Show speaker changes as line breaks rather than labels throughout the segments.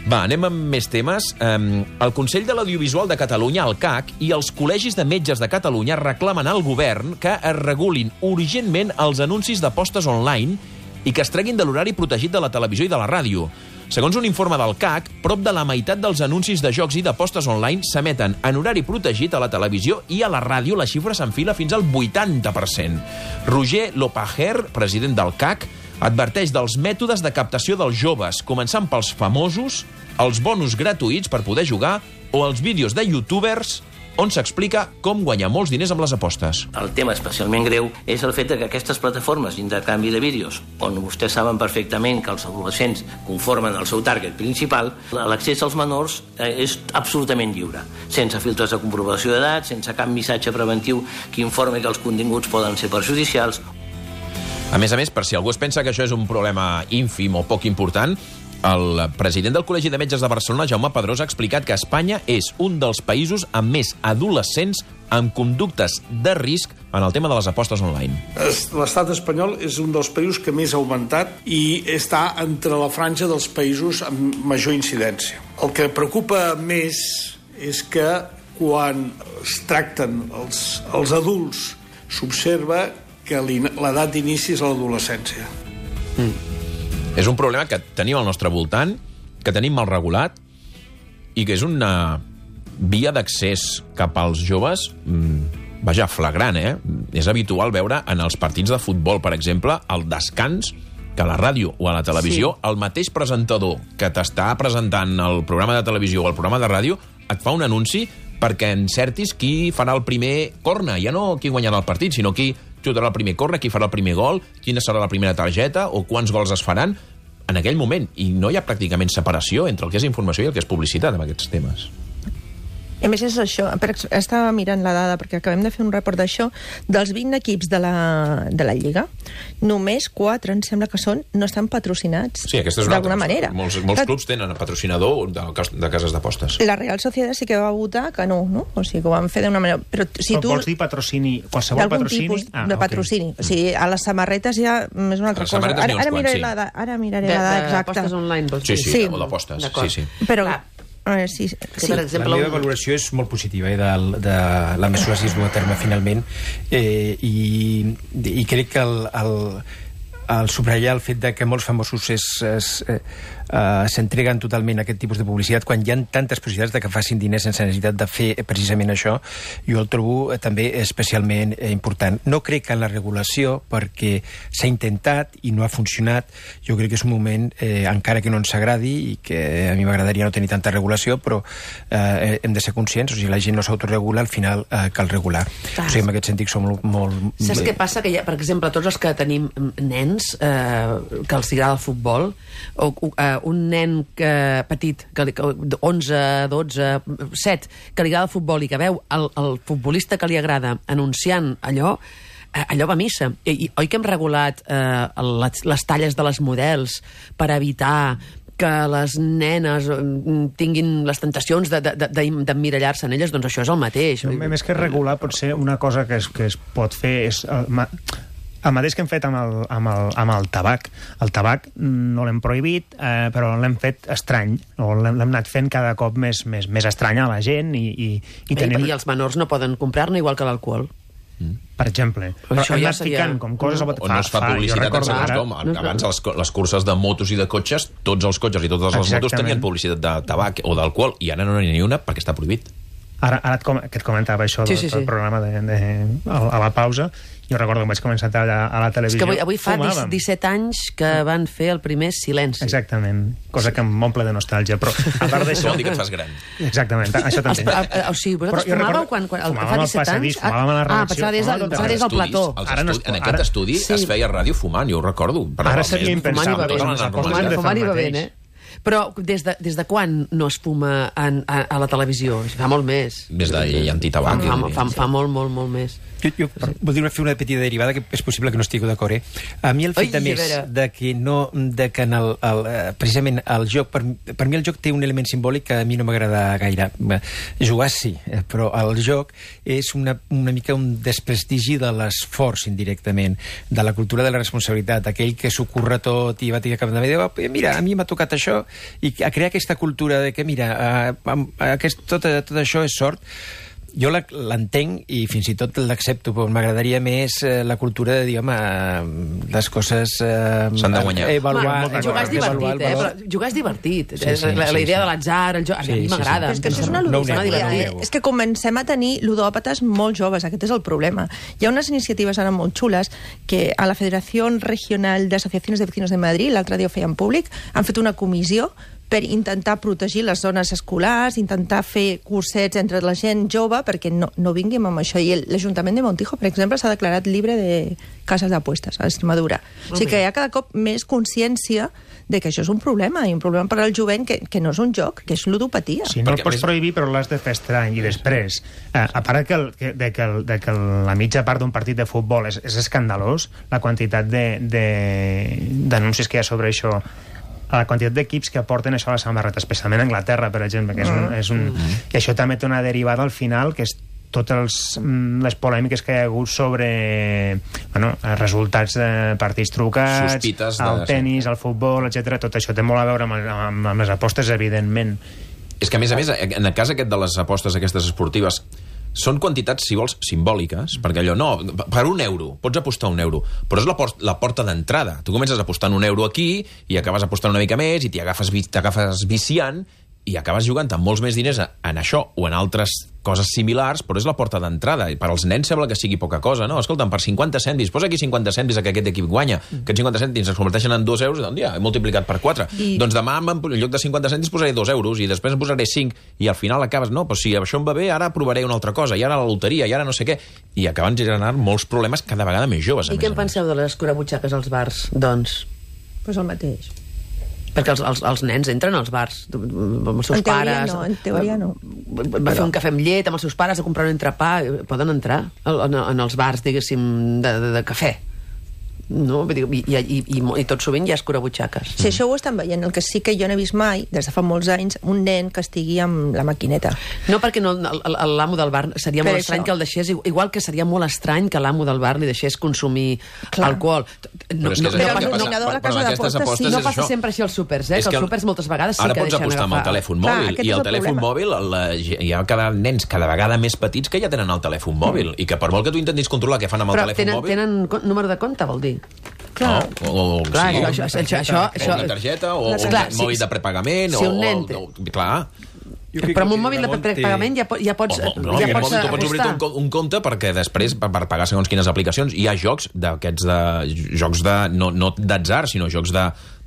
Va, anem amb més temes. El Consell de l'Audiovisual de Catalunya, el CAC, i els col·legis de metges de Catalunya reclamen al govern que es regulin urgentment els anuncis d'apostes online i que es treguin de l'horari protegit de la televisió i de la ràdio. Segons un informe del CAC, prop de la meitat dels anuncis de jocs i d'apostes online s'emeten en horari protegit a la televisió i a la ràdio la xifra s'enfila fins al 80%. Roger Lopager, president del CAC, adverteix dels mètodes de captació dels joves, començant pels famosos, els bonus gratuïts per poder jugar o els vídeos de youtubers on s'explica com guanyar molts diners amb les apostes.
El tema especialment greu és el fet que aquestes plataformes d'intercanvi de vídeos, on vostès saben perfectament que els adolescents conformen el seu target principal, l'accés als menors és absolutament lliure, sense filtres de comprovació d'edat, sense cap missatge preventiu que informi que els continguts poden ser perjudicials.
A més, per si algú es pensa que això és un problema ínfim o poc important, el president del Col·legi de Metges de Barcelona, Jaume Pedrós, ha explicat que Espanya és un dels països amb més adolescents amb conductes de risc en el tema de les apostes online.
L'estat espanyol és un dels països que més ha augmentat i està entre la franja dels països amb major incidència. El que preocupa més és que quan es tracten els adults s'observa que l'edat d'inici és a l'adolescència.
És un problema que tenim al nostre voltant, que tenim mal regulat i que és una via d'accés cap als joves, vaja, flagrant, És habitual veure en els partits de futbol, per exemple, el descans, que a la ràdio o a la televisió, el mateix presentador que t'està presentant el programa de televisió o el programa de ràdio et fa un anunci perquè encertis qui farà el primer corner, ja no qui guanyarà el partit, sinó qui xutarà el primer corner, qui farà el primer gol, quina serà la primera targeta o quants gols es faran en aquell moment. I no hi ha pràcticament separació entre el que és informació i el que és publicitat amb aquests temes.
A més, és això. Estava mirant la dada, perquè acabem de fer un report d'això. Dels 20 equips de la Lliga, només 4, em sembla que són, no estan patrocinats.
Sí, aquesta és una
d'alguna manera.
Molts clubs tenen patrocinador de cases d'apostes.
La Real Sociedad sí que va votar que no? O sigui, que ho van fer d'una manera... Però si tu...
Vols dir patrocini, qualsevol patrocini?
D'algun tipus de patrocini. O sigui, a les samarretes ja és una altra cosa. Ara miraré la dada exacta.
D'apostes online, vols dir?
Sí, o d'apostes. Sí.
Però... Sí.
Per exemple, la meva valoració és molt positiva de la mesura si es du a terme finalment i crec que el subratllar el fet de que molts famosos s'entreguen totalment a aquest tipus de publicitat quan hi ha tantes possibilitats de que facin diners sense necessitat de fer precisament això, jo el trobo també especialment important. No crec que en la regulació, perquè s'ha intentat i no ha funcionat, jo crec que és un moment, encara que no ens agradi i que a mi m'agradaria no tenir tanta regulació, però hem de ser conscients, o sigui, la gent no s'autoregula, al final cal regular. O sigui, en aquest sentit som molt...
Saps què passa? Que per exemple, tots els que tenim nens que els agrada el futbol, o un nen petit, 11, 12, 7, que li agrada el futbol i que veu el futbolista que li agrada anunciant allò va a missa. Oi que hem regulat les talles de les models per evitar que les nenes tinguin les tentacions d'emmirallar-se en elles? Doncs això és el mateix.
Més que regular, pot ser una cosa que es pot fer és... El mateix que hem fet amb el tabac. El tabac no l'hem prohibit, però l'hem fet estrany. L'hem anat fent cada cop més estrany a la gent. I
els menors no poden comprar-ne igual que l'alcohol.
Per exemple. Però hem anat ficant com coses...
On no es fa publicitat en segons com. Abans, les curses de motos i de cotxes, tots els cotxes i totes les motos tenien publicitat de tabac o d'alcohol, i ara no n'hi ha ni una perquè està prohibit.
Ara que et comentava això del programa a la pausa, jo recordo que vaig començar a la televisió.
És que avui fa 17 anys que van fer el primer Silenci.
Exactament, cosa que m'omple de nostàlgia, però a part d'això...
Vol dir que et fas gran.
Exactament, això també.
O sigui, vosaltres fumàveu quan fa 17 anys?
Fumàvem a la redacció.
Passava des del plató.
En aquest estudi es feia ràdio fumant, jo ho recordo.
Ara seria impensable.
Fumant i bevent, Però des de quan no es fuma a la televisió? Fa molt més.
Des de antitabac.
Fa molt més.
Jo voldria fer una petita derivada, que és possible que no estigui d'acord. A mi el fet de més de que precisament el joc, per mi el joc té un element simbòlic que a mi no m'agrada gaire. Jugar sí, però el joc és una mica un desprestigi de l'esforç indirectament, de la cultura de la responsabilitat, aquell que s'ho curra tot i va tenir cap de dir, mira, a mi m'ha tocat això i a crear aquesta cultura de que, mira, tot això és sort. Jo l'entenc i fins i tot l'accepto, però m'agradaria més la cultura de dir, home, les coses...
S'han de guanyar.
Jugar és divertit, però jugar és divertit. La idea de l'atzar, el joc, a mi m'agrada.
És que això és una ludopatia. És que comencem a tenir ludòpates molt joves, aquest és el problema. Hi ha unes iniciatives ara molt xules que a la Federació Regional de Asociaciones de Vecinos de Madrid, l'altre dia ho feien públic, han fet una comissió per intentar protegir les zones escolars, intentar fer cursets entre la gent jove perquè no vinguem amb això. I l'Ajuntament de Montijo, per exemple, s'ha declarat llibre de cases d'apuestes a Extremadura. O sigui que hi ha cada cop més consciència de que això és un problema, i un problema per al jovent que no és un joc, que és ludopatia.
Sí, no el pots prohibir, però l'has de fer estrany. I després, a part de que la mitja part d'un partit de futbol és escandalós, la quantitat d'anuncis que hi ha sobre això, a la quantitat d'equips que aporten això a la samarreta, especialment a Anglaterra, per exemple, que i això també té una derivada al final, que és totes les polèmiques que hi ha hagut sobre resultats de partits trucats, el tennis, el futbol, etc. Tot això té molt a veure amb les apostes, evidentment.
És que, a més, en el cas aquest de les apostes aquestes esportives, són quantitats, si vols, simbòliques, perquè allò, per €1 pots apostar €1, però és la porta d'entrada. Tu comences apostant €1 aquí i acabes apostant una mica més i t'agafes viciant i acabes jugant amb molts més diners en això o en altres coses similars, però és la porta d'entrada. I per als nens sembla que sigui poca cosa, no? Escolta'm, per 50 cèntims, posa aquí 50 cèntims que aquest equip guanya. Aquests 50 cèntims es converteixen en €2, doncs ja, he multiplicat per 4. Doncs demà, en lloc de 50 cèntims, posaré €2 i després en posaré 5 i al final acabes, no, però si això em va bé, ara provaré una altra cosa, i ara la loteria, i ara no sé què. I acaben generant molts problemes cada vegada més joves.
I què en penseu de les escurabutxaques als bars, doncs?
Pues el mateix.
Perquè els nens entren als bars amb els seus pares.
En teoria no.
Va fer un cafè amb llet amb els seus pares, a comprar un entrepà, poden entrar en els bars, diguéssim, de cafè. No? I tot sovint hi ha escurabutxaques.
Sí, això ho estan veient. El que sí que jo no he vist mai, des de fa molts anys, un nen que estigui amb la maquineta.
No, perquè l'amo del bar seria molt estrany que el deixés, igual que seria molt estrany que l'amo del bar li deixés consumir alcohol.
Però és que
no passa sempre així als súpers, que els súpers moltes vegades sí que deixen agafar.
Ara pots apostar amb el telèfon mòbil, i el telèfon mòbil hi ha nens cada vegada més petits que ja tenen el telèfon mòbil, i que per molt que tu intentis controlar què fan amb el telèfon mòbil...
Però tenen número de compte, vol dir?
Clar, o una
targeta
o un mòbil de prepagament, clar.
Però amb un mòbil de prepagament ja pots apostar.
Tu pots obrir un compte perquè després, per pagar segons quines aplicacions, hi ha jocs d'aquests jocs no d'atzar, sinó jocs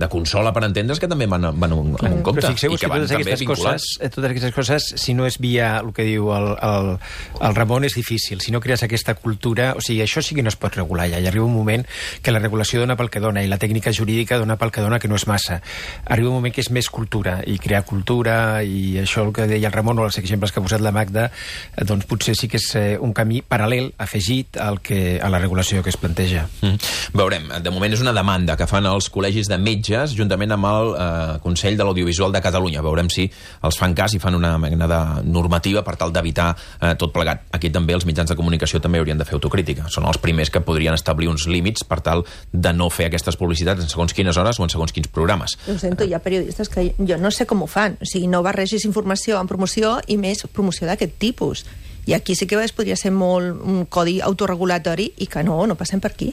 de consola, per entendre's, que també van amb un compte.
Però fixeu-vos que totes aquestes coses, si no és via el que diu el Ramon, és difícil. Si no crees aquesta cultura... O sigui, això sí que no es pot regular ja. I arriba un moment que la regulació dona pel que dona i la tècnica jurídica dona pel que dona, que no és massa. Arriba un moment que és més cultura, i crear cultura, i això el que deia el Ramon o els exemples que ha posat la Magda, doncs potser sí que és un camí paral·lel, afegit a la regulació que es planteja.
Veurem. De moment és una demanda que fan els col·legis de metges juntament amb el Consell de l'Audiovisual de Catalunya. Veurem si els fan cas i fan una mena de normativa per tal d'evitar tot plegat. Aquí també els mitjans de comunicació també haurien de fer autocrítica. Són els primers que podrien establir uns límits per tal de no fer aquestes publicitats en segons quines hores o en segons quins programes.
Ho sento, hi ha periodistes que jo no sé com ho fan. O sigui, no barregis informació amb promoció i més promoció d'aquest tipus. I aquí sí que podria ser molt un codi autorregulatori i que no passem per aquí.